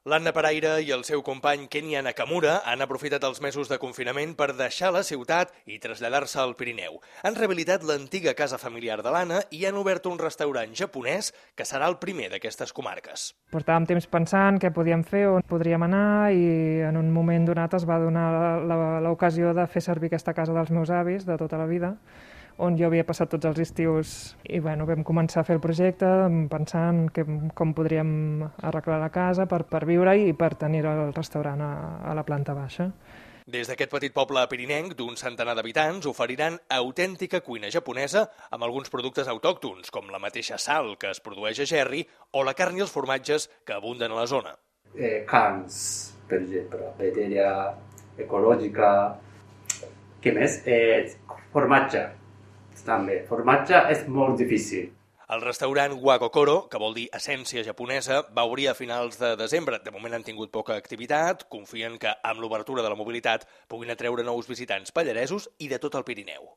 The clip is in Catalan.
L'Anna Paraire i el seu company Kenya Nakamura han aprofitat els mesos de confinament per deixar la ciutat i traslladar-se al Pirineu. Han rehabilitat l'antiga casa familiar de l'Anna i han obert un restaurant japonès que serà el primer d'aquestes comarques. Portàvem temps pensant què podíem fer, on podríem anar, i en un moment donat es va donar l'ocasió de fer servir aquesta casa dels meus avis de tota la vida, on jo havia passat tots els estius, i vam començar a fer el projecte pensant com podríem arreglar la casa per viure i per tenir el restaurant a la planta baixa. Des d'aquest petit poble pirinenc d'un centenar d'habitants oferiran autèntica cuina japonesa amb alguns productes autòctons, com la mateixa sal que es produeix a Gerri o la carn i els formatges que abunden a la zona. Carns, per exemple, vegetarià, ecològica, què més? Formatge. També. Formatge és molt difícil. El restaurant Wakokoro, que vol dir essència japonesa, va obrir a finals de desembre. De moment han tingut poca activitat, confien que amb l'obertura de la mobilitat puguin atreure nous visitants pallaresos i de tot el Pirineu.